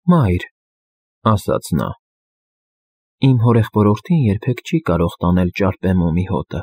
Մայր, ասաց նա, իմ հորեղբորորդին երբեք չի կարող տանել ճարպեմոմի հոտը,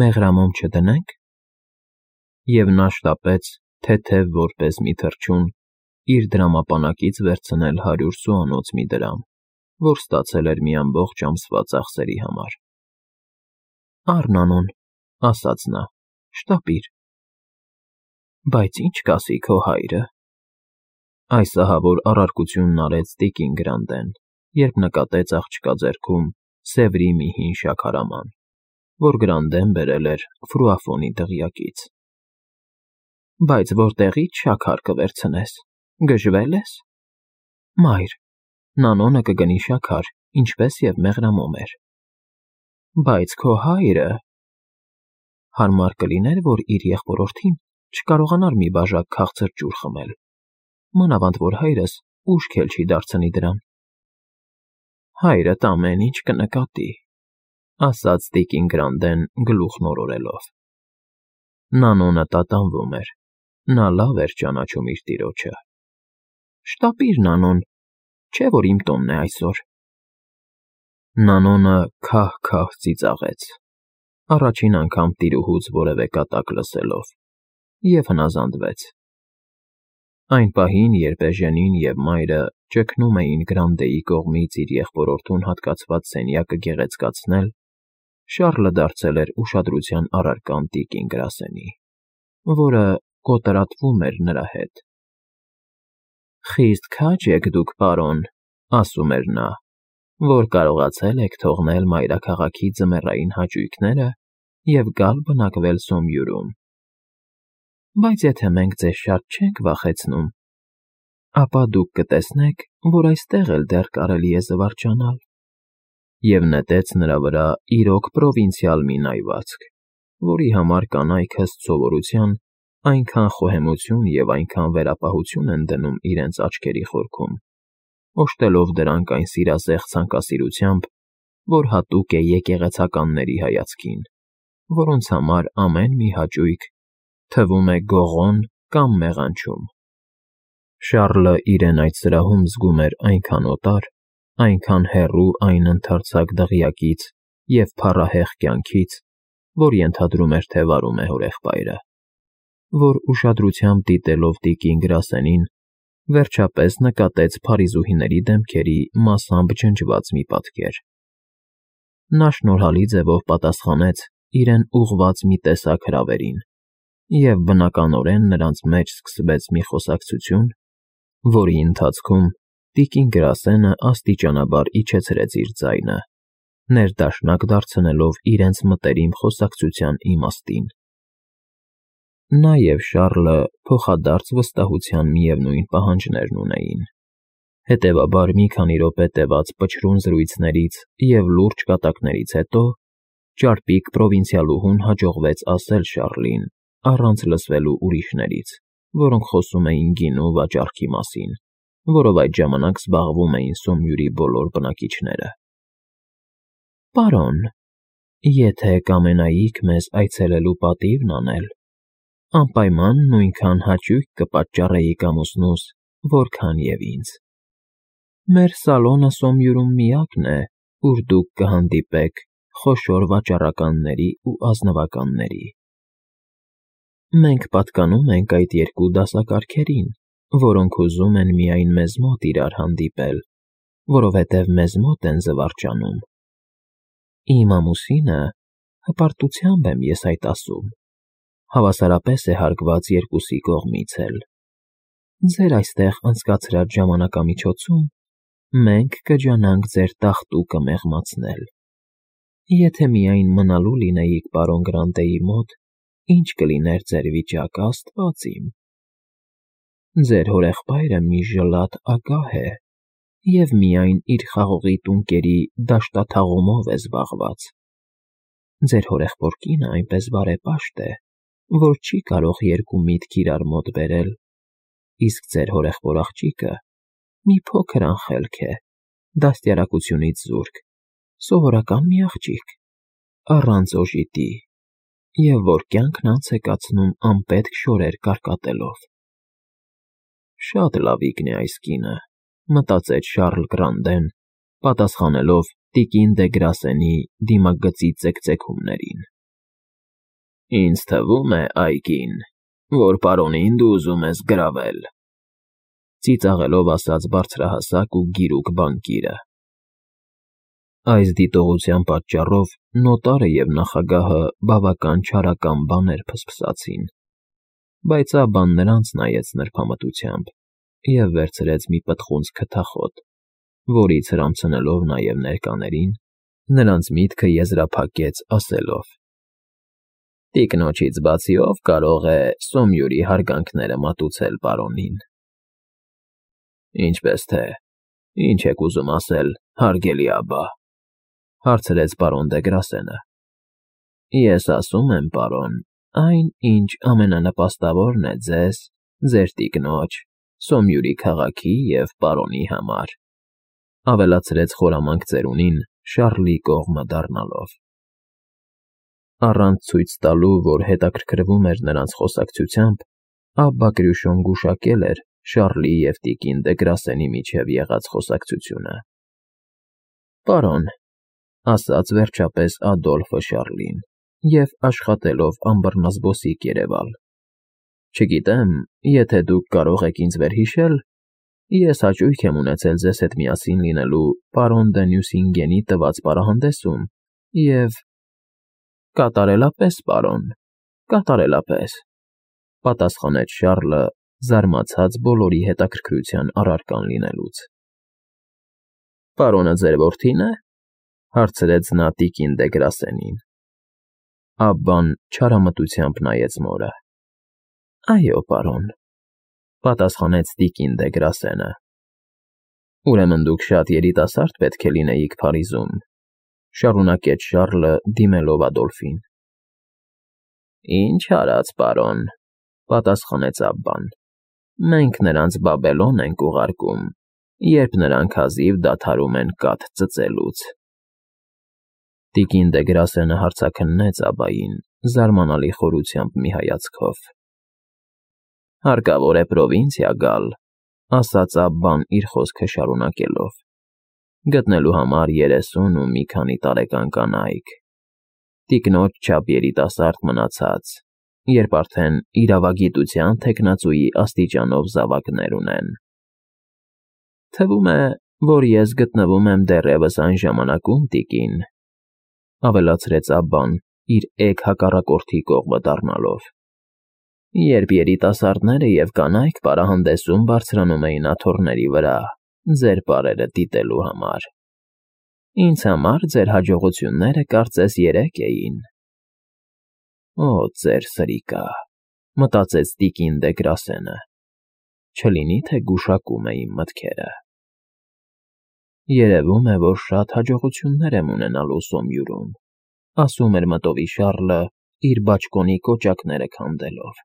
մեղրամոմ չդնե՞նք։ Եվ նա շտապեց, թեթև որպես մի թռչուն, իր դրամապանակից վերցնել 100 սուանոց մի դրամ, որ ստացել էր մի ամբողջ ամսվա ծախսերի համար։ Առ, Նանոն, ասաց նա, շտապիր։ Բայց ի՞նչ կասի քո հայրը։ Այս ահավոր առարկությունն արեց տիկին Գրանտեն, երբ նկատեց աղջկա ձեռքում սևրի մի հին շաքարաման, որ Գրանտեն բերել էր Ֆրուաֆոնի դղյակից։ Բայց որտեղի՞ց շաքար կվերցնես, գժվել ես։ Մայր, Նանոնը կգնի շաքար, ինչպես և մեղրամոմ էր։ Բայց քո հայրը… Հարմար կլիներ, որ իր եղբորորդին չկարողանար մի բաժակ քաղցր ջուր խմել, մանավանդ որ հայրս ուշք էլ չի դարձնի դրան։ Հայրդ ամեն ինչ կնկատի, ասաց տիկին Գրանտեն գլուխն օրորելով։ Նանոնը տատանվում էր, նա լավ էր ճանաչում իր տիրոջը։ Շտապիր, Նանոն, չէ՞ որ իմ տոնն է այսօր։ Նանոնը քահ-քահ ծիծաղեց, առաջին անգամ տիրուհուց որևէ կատակ լսելով, և հնազանդվեց։ Այն պահին, երբ Էժենին և մայրը ճգնում էին Գրանտեի կողմից իր եղբորորդուն հատկացված սենյակը գեղեցկացնել, Շառլը դարձել էր ուշադրության առարկան տիկին Գրասենի, որը կոտրատվում էր նրա հետ։ Խիստ քաջ եք դուք, պարոն, ասում էր նա, որ կարողացել եք թողնել մայրաքաղաքի ձմեռային հաճույքները և գալ բնակվել Սոմյուրում։ Բայց եթե մենք ձեզ շատ չենք վախեցնում, ապա դուք կտեսնեք, որ այստեղ էլ դեռ կարելի է զվարճանալ։ Եվ նետեց նրա վրա իրոք պրովինցիալ մի նայվածք, որի համար կանայք ըստ սովորության այնքան խոհեմություն և այնքան վերապահություն են դնում իրենց աչքերի խորքում, օժտելով դրանք այն սիրազեղ ցանկասիրությամբ, որ հատուկ է եկեղեցականների հայացքին, որոնց համար ամեն մի հաճույք թվում է գողոն կամ մեղանչում։ Շառլը իրեն այդ սրահում զգում էր այնքան օտար, այնքան հեռու այն ընդարձակ դղյակից և փառահեղ կյանքից, որ ենթադրում էր, թե վարում է հորեղբայրը, որ ուշադրությամբ դիտելով տիկին Գրասենին, վերջապես նկատեց փարիզուհիների դեմքերի մասամբ ջնջված մի պատկեր։ Նա շնորհալի ձևով պատասխանեց իրեն ուղղված մի տեսակ հրավերին, և բնականորեն նրանց մեջ սկսվեց մի խոսակցություն, որի ընթացքում տիկին Գրասենը աստիճանաբար իջեցրեց իր ձայնը, ներդաշնակ դարձնելով իրենց մտերիմ խոսակցության իմաստին։ Նա և Շառլը փոխադարձ վստահության միևնույն պահանջներն ունեին։ Հետևաբար մի քանի րոպե տևած պչռուն զրույցներից և լուրջ կատակներից հետո ճարպիկ պրովինցիալուհուն հաջողվեց ասել Շառլին, առանց լսվելու ուրիշներից, որոնք խոսում էին գինու վաճառքի մասին, որով այդ ժամանակ զբաղվում էին Սոմյուրի բոլոր բնակիչները։ Պարոն, եթե կամենայիք մեզ այցելելու պատիվն անել, անպայման նույնքան հաճույք կպատճառեիք ամուսնուս, որքան և ինձ։ Մեր սալոնը Սոմյուրում միակն է, ուր դուք կհանդիպեք խոշոր վաճառականների ու ազնվականների։ Մենք պատկանում ենք այդ երկու դասակարգերին, որոնք ուզում են միայն մեզ մոտ իրար հանդիպել, որովհետև մեզ մոտ են զվարճանում։ Իմ ամուսինը, հպարտությամբ եմ ես այդ ասում, հավասարապես է հարգված երկուսի կողմից էլ։ Ձեր այստեղ անցկացրած ժամանակամիջոցում մենք կջանանք ձեր տաղտուկը մեղմացնել։ Եթե միայն մնալու լինեիք պարոն Գրանտեի մոտ, ինչ կլիներ ձեր վիճակը, աստված իմ։ Ձեր հորեղբայրը մի ժլատ ագահ է և միայն իր խաղողի տունկերի դաշտաթաղումով է զբաղված։ Ձեր հորեղբոր կինը այնպես բարեպաշտ է, որ չի կարող երկու միտք իրար մոտ բերել, իսկ ձեր հորեղբոր աղջիկը մի փոքր անխելք է, դաստիարակությունից զուրկ, սովորական մի աղջիկ, առանց օժիտի, և որ կյանքն անց է կացնում անպետք շորեր կարկատելով։ Շատ լավիկն է այս կինը, մտածեց Շառլ Գրանդեն, պատասխանելով տիկին դե Գրասենի դիմագծի ծեքծեքումներին։ Ինձ թվում է, Այգին, որ պարոնին դու ուզում ես գրավել, ծիծաղելով ասաց բարձրահասակ ու գիրուկ բանկիրը։ Այս դիտողության պատճառով նոտարը և նախագահը բավական չարական բաներ փսփսացին, բայց Աբբան նրանց նայեց նրբամտությամբ և վերցրեց մի պտղունց քթախոտ, որից հրամցնելով նաև ներկաներին, նրանց միտքը եզրափակեց ասելով. «Տիկնոջից բացի ով կարող է Սոմյուրի հարգանքները մատուցել պարոնին»։ «Ինչպես թե, ինչ եք ուզում ասել, հարգելի Աբբա», հարցրեց պարոն դե Գրասենը։ «Ես ասում եմ, պարոն, այն, ինչ ամենանպաստավորն է ձեզ, ձեր տիկնոջ, Սոմյուրի քաղաքի և պարոնի համար», ավելացրեց խորամանկ ծերունին Շառլի կողմը դառնալով։ Առանց ցույց տալու, որ հետաքրքրվում էր նրանց խոսակցությամբ, Աբբա Կրյուշոն գուշակել էր Շառլի և տիկին դե Գրասենի միջև եղած խոսակցությունը։ «Պարոն», ասաց վերջապես Ադոլֆը Շառլին, և աշխատելով ամբռնազբոսիկ երևալ, «չգիտեմ, եթե դուք կարող եք ինձ վերհիշել, ես հաճույք եմ ունեցել ձեզ հետ միասին լինելու պարոն դը Նյուսինգենի տված պարահանդեսում և… Կատարելապես, պարոն, կատարելապես», պատասխանեց Շառլը, զարմացած բոլորի հետաքրքրության առարկան լինելուց։ «Պարոնը ձեր որդի՞ն է», հարցրեց նա տիկին դե Գրասենին։ Աբբան չարամտությամբ նայեց մորը։ «Այո, պարոն», պատասխանեց տիկին դե Գրասենը։ «Ուրեմն դուք շատ երիտասարդ պետք է լինեիք Փարիզում», շարունակեց Շառլը, դիմելով Ադոլֆին։ «Ինչ արած, պարոն», պատասխանեց Աբբան, «մենք նրանց Բաբելոն ենք ուղարկում, երբ նրանք հազիվ դադարում են կաթ ծծելուց»։ Տիկին դե Գրասենը հարցաքննեց Աբբային զարմանալի խորությամբ մի հայացքով։ «Հարկավոր է պրովինցիա գալ», ասաց Աբբան իր խոսքը շարունակելով, «գտնելու համար 30 ու մի քանի տարեկան կանայք, տիկնոջ չափ երիտասարդ մնացած, երբ արդեն իրավագիտության թեկնածուի աստիճանով զավակներ ունեն»։ «Թվում է, որ ես գտնվում եմ դեռևս այն ժամանակում, տիկին», ավելացրեց Աբբան իր էգ հակառակորդի կողմը դառնալով, «երբ երիտասարդները և կանայք պարահանդեսում բարձրանում էին աթոռների վրա, ձեր պարերը դիտելու համար։ Ինձ համար ձեր հաջողությունները կարծես երեկ էին»։ «Օ, ծեր սրիկա», մտածեց տիկին դե Գրասենը, «չլինի թե գուշակում է իմ մտքերը։ Երևում է, որ շատ հաջողություններ եմ ունենալու Սոմյուրում», ասում էր մտովի Շառլը իր բաճկոնի կոճակները քանդելով,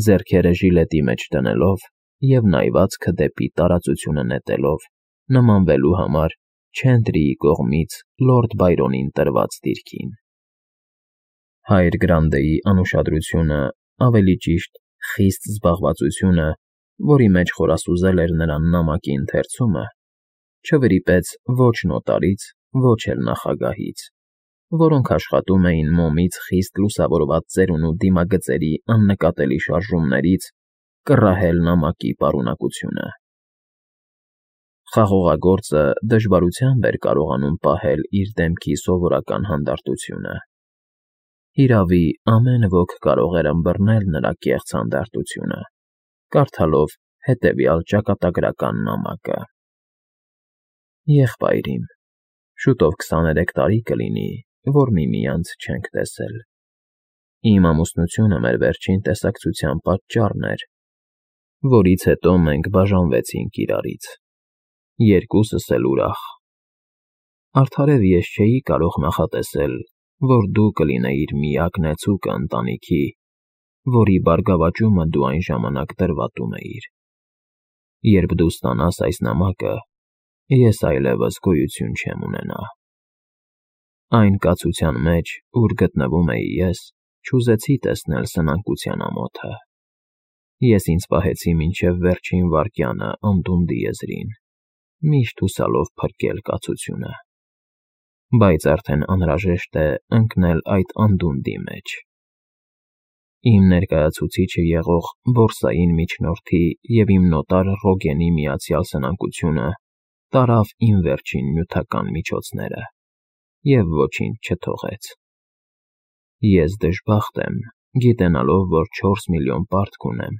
ձեռքերը ժիլետի մեջ դնելով և նայվածքը դեպի տարածությունը նետելով նմանվելու համար Չենտրիի կողմից լորդ Բայրոնին տրված դիրքին։ Հայր Գրանդեի անուշադրությունը, ավելի ճիշտ, խիստ զբաղվածությունը, որի մեջ խորասուզել էր նրան նամակի ընթերցումը, չվրիպեց ոչ նոտարից, ոչ էլ նախագահից, որոնք աշխատում էին մոմից խիստ լուսավորված ծերունու դիմագծերի աննկատելի շարժումներից կռահել նամակի պարունակությունը։ Խաղողագործը դժվարությամբ էր կարողանում պահել իր դեմքի սովորական հանդարտությունը։ Հիրավի, ամեն ոք կարող էր ըմբռնել նրա կեղծ հանդարտությունը, կարդալով հետևյալ ճակատագրական նամակը. «Եղբայրիմ, շուտով 23 տարի կլինի, որ միմյանց չենք տեսել։ Իմ ամուսնությունը մեր վերջին տեսակցության պատճառն էր, որից հետո մենք բաժանվեցինք իրարից, երկուսս էլ ուրախ։ Արդարև ես չէի կարող նախատեսել, որ դու կլինեիր միակ նեցուկը ընտանիքի, որի բարգավաճումը դու այն ժամանակ դրվատում էիր։ Երբ դու ստանաս այս նամակը, ես այլևս գոյություն չեմ ունենա։ Այն կացության մեջ, ուր գտնվում էի ես, չուզեցի տեսնել սնանկության ամոթը։ Ես ինձ պահեցի մինչև վերջին վայրկյանը անդունդի եզրին, միշտ հուսալով փրկել կացությունը, բայց արդեն անհրաժեշտ է ընկնել այդ անդունդի մեջ։ Իմ ներկայացուցիչը եղող բորսային միջնորդի և իմ նոտար Ռոգենի միացյալ սնանկությունը տարավ իմ վերջին նյութական միջոցները և ոչինչ չթողեց։ Ես դժբախտ եմ, գիտենալով, որ 4 միլիոն պարտք ունեմ,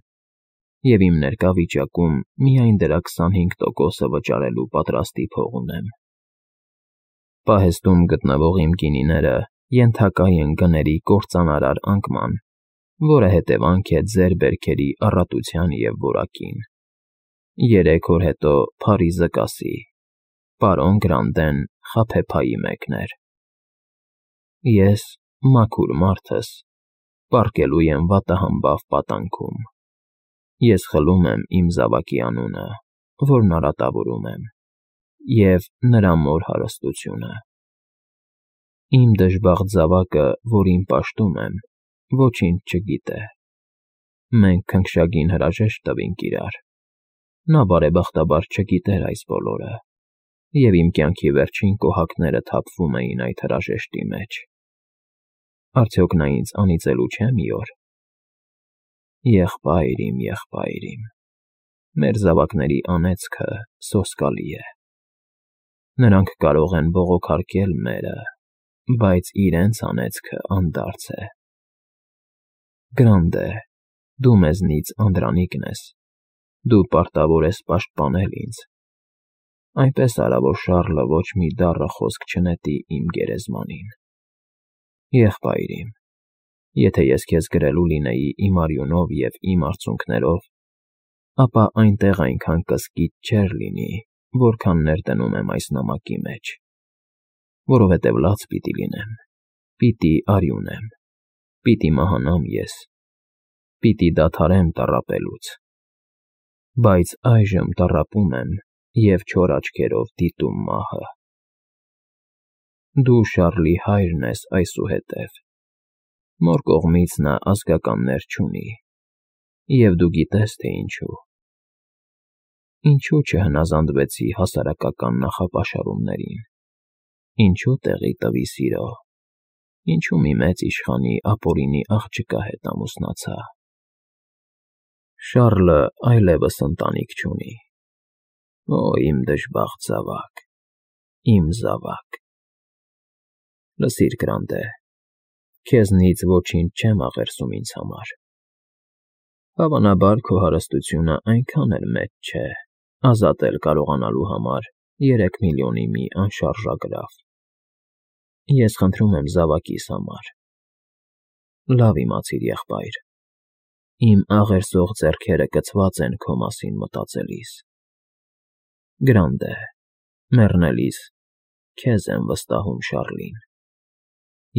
և իմ ներկա վիճակում միայն դրա 25%-ը վճարելու պատրաստի փող ունեմ։ Պահեստում գտնվող իմ գինիները ենթակա են գների կործանարար անկման, որը հետևանք է ձեր բերքերի առատության և որակին։ 3 օր հետո Փարիզը կասի. «Պարոն Գրանդեն խաբեբայի մեկն էր»։ Ես, մաքուր մարդս, պառկելու եմ վատահամբավ պատանքում։ Ես խլում եմ իմ զավակի անունը, որն արատավորում եմ, և նրա մոր հարստությունը։ Իմ դժբախտ զավակը, որին պաշտում եմ, ոչինչ չգիտե։ Մենք քնքշագին հրաժեշտ տվինք իրար։ Նա բարեբախտաբար չգիտեր այս բոլորը, և իմ կյանքի վերջին կոհակները թափվում էին այդ հրաժեշտի մեջ։ Արդյոք նա ինձ անիծելու չէ մի օր։ Եղբայր իմ, մեր զավակների անեծքը սոսկալի է։ Նրանք կարող են բողոքարկել մերը, բայց իրենց անեծքը անդարձ է։ Գրանդ է, դու մեզնից անդրանիկն ես, դու պարտավոր ես պաշտպանել ինձ։ Այնպես արա, որ Շառլը ոչ մի դառը խոսք չնետի իմ գերեզմանին։ Եղբայր իմ, եթե ես քեզ գրելու լինեի իմ արյունով և իմ արցունքներով, ապա այնտեղ այնքան կսկիծ չէր լինի, որքան ներդնում եմ այս նամակի մեջ, որովհետև լաց պիտի լինեմ, պիտի արյունեմ, պիտի մահանամ ես, պիտի դադարեմ տառապելուց, բայց այժմ տառապում եմ և չոր աչքերով դիտում մահը։ Դու Շառլի հայրն ես այսուհետև, մոր կողմից նա ազգականներ չունի, և դու գիտես, թե ինչու։ Ինչու չհնազանդվեցի հասարակական նախապաշարումներին, ինչու տեղի տվի սիրո, ինչու մի մեծ իշխանի ապօրինի աղջկա հետ ամուսնացա։ Շառլը այլևս ընտանիք չունի։ Օ, իմ դժբախտ զավակ, իմ զավակ։ Լսիր, Գրանտե, քեզնից ոչինչ չեմ աղերսում ինձ համար։ Հավանաբար քո հարստությունը այնքան էլ մեծ չէ, ազատել կարողանալու համար 3 միլիոնի մի անշարժագրավ։ Ես խնդրում եմ զավակիս համար։ Լավ իմացիր, եղբայր, իմ աղերսող ձեռքերը կցված են քո մասին մտածելիս։ Գրանտե, մեռնելիս քեզ եմ վստահում Շառլին։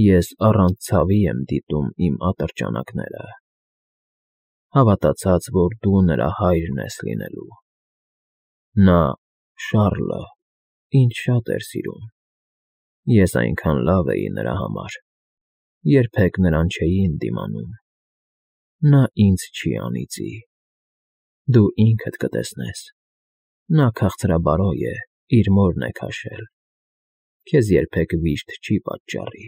Ես առանց ցավի եմ դիտում իմ ատրճանակները, հավատացած, որ դու նրա հայրն ես լինելու։ Նա, Շառլը, ինձ շատ էր սիրում։ Ես այնքան լավ էի նրա համար, երբեք նրան չէի ընդդիմանում։ Նա ինձ չի անիծի։ Դու ինքդ կտեսնես, նա քաղցրաբարոյ է, իր մորն է քաշել, քեզ երբեք վիշտ չի պատճառի։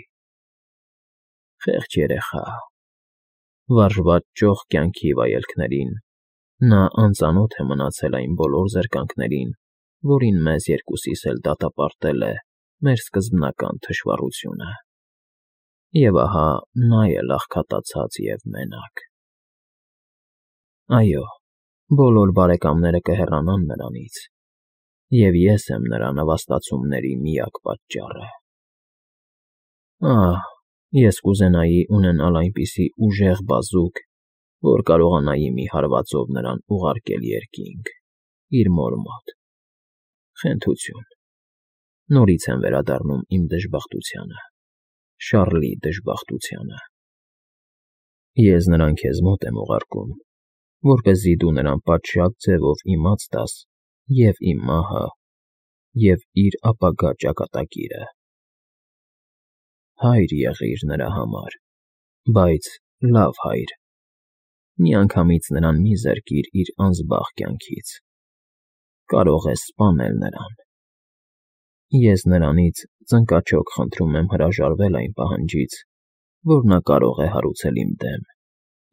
Խեղճ երեխա, վարժված ճոխ կյանքի վայելքներին, նա անծանոթ է մնացել այն բոլոր զրկանքներին, որին մեզ երկուսիս էլ դատապարտել է մեր սկզբնական թշվառությունը։ Եվ ահա նա էլ աղքատացած և մենակ։ Այո, բոլոր բարեկամները կհեռանան նրանից, և ես եմ նրա նվաստացումների միակ պատճառը։ Ահ, ես կուզենայի ունենալ այնպիսի ուժեղ բազուկ, որ կարողանայի մի հարվածով նրան ուղարկել երկինք, իր մոր մոտ։ Խենթություն։ Նորից եմ վերադառնում իմ դժբախտությանը, Շառլի դժբախտությանը։ Ես նրան քեզ մոտ եմ ուղարկում, որպեսզի դու նրան պատշաճ ձևով իմաց տաս և իմ մահը, և իր ապագա ճակատագիրը։ Հայր եղիր նրա համար, բայց լավ հայր։ Միանգամից նրան մի զրկիր իր անզբաղ կյանքից։ կարող ես սպանել նրան։ Ես նրանից ծնկաչոք խնդրում եմ հրաժարվել այն պահանջից, որ նա կարող է հարուցել իմ դեմ,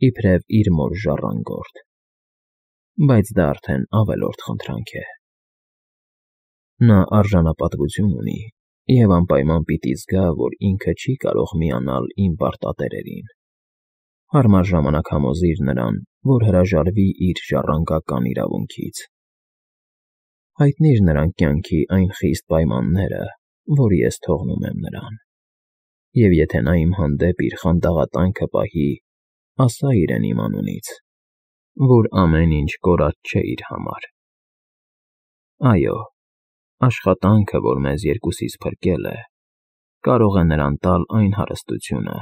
իբրև իր մոր ժառանգորդ, բայց դա արդեն ավելորդ խնդրանք է։ Նա արժանապատվություն ունի և անպայման պիտի զգա, որ ինքը չի կարող միանալ իմ պարտատերերին։ Հարմար ժամանակ համոզիր նրան, որ հրաժարվի իր ժառանգական իրավունքից։ Հայտնիր նրան կյանքի այն խիստ պայմանները, որ ես թողնում եմ նրան, և եթե նա իմ հանդեպ իր խանդաղատանքը պահի, ասա իրեն իմ անունից, որ ամեն ինչ կորած չէ իր համար։ Այո, աշխատանքը, որ մեզ երկուսիս փրկել է, կարող է նրան տալ այն հարստությունը,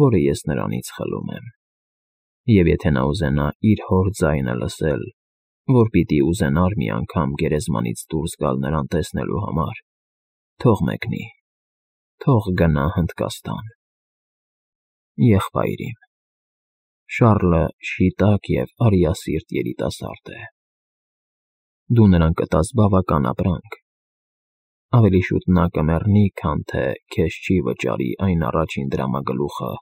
որը ես նրանից խլում եմ, և եթե նա ուզենա իր հոր ձայնը լսել, որ պիտի ուզենար մի անգամ գերեզմանից դուրս գալ նրան տեսնելու համար, թող մեկնի, թող գնա Հնդկաստան։ Եղբայր իմ, Շառլը շիտակ և արիասիրտ երիտասարդ է։ Դու նրան կտաս բավական ապրանք, ավելի շուտ նա կմեռնի, քան թե քեզ չի վճարի այն առաջին դրամագլուխը,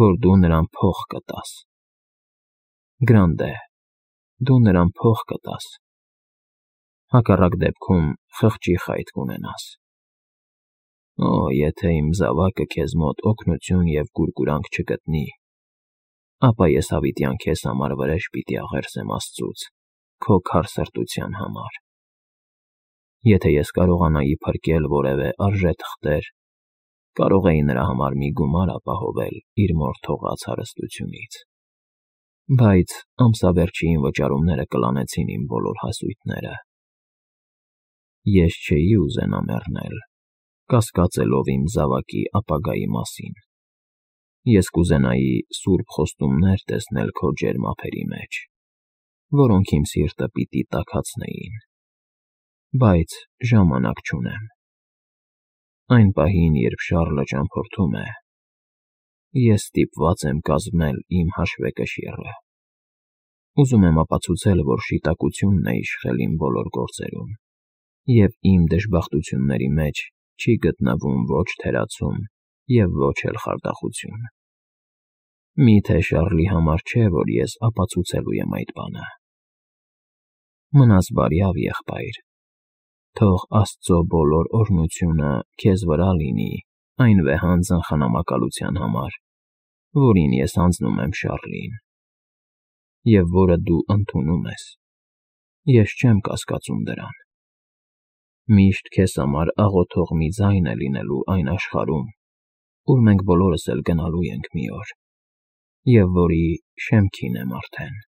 որ դու նրան փող կտաս։ Գրանդե, դու նրան փող կտաս, հակառակ դեպքում խղճի խայտ կունենաս։ Օ, եթե իմ զավակը քեզ մոտ օգնություն և կուրկուրանք չգտնի, ապա ես հավիտյան քեզ համար վրեժ պիտի աղերսեմ աստծուց քո քար սրտության համար։ Եթե ես կարողանայի փրկել որևէ արժե թղթեր, կարող էի նրա համար մի գումար ապահովել իր մոր թողած հարստությունից, բայց ամսավերջին վճարումները կլանեցին իմ բոլոր հասույթները։ Ես չէի ուզենա մեռնել, կասկածելով իմ զավակի ապագայի մասին։ Ես կուզենայի սուրբ խոստումներ տեսնել քո ջերմ ափերի մեջ, որոնք իմ սիրտը պիտի տաքացնեին, բայց ժամանակ չունեմ։ Այն պահին, երբ Շառլը ճամփորդում է, ես ստիպված եմ կազմել իմ հաշվեկշիռը։ Ուզում եմ ապացուցել, որ շիտակությունն է իշխել իմ բոլոր գործերում, և իմ դժբախտությունների մեջ չի գտնվում ոչ թերացում և ոչ էլ խարդախություն։ Մի՞թե Շառլի համար չէ, որ ես ապացուցելու եմ այդ բանը։ Մնաս բարյավ, եղբայր, թող Աստծո բոլոր օրհնությունը քեզ վրա լինի այն վեհանձն խնամակալության համար, որին ես հանձնում եմ Շառլին, և որը դու ընդունում ես։ Ես չեմ կասկածում դրան։ Միշտ քեզ համար աղոթող մի ձայն է լինելու այն աշխարհում, ուր մենք բոլորս էլ գնալու ենք մի օր, և որի շեմքին եմ արդեն։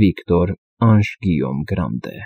Վիկտոր Անժ Գիյոմ Գրանդե։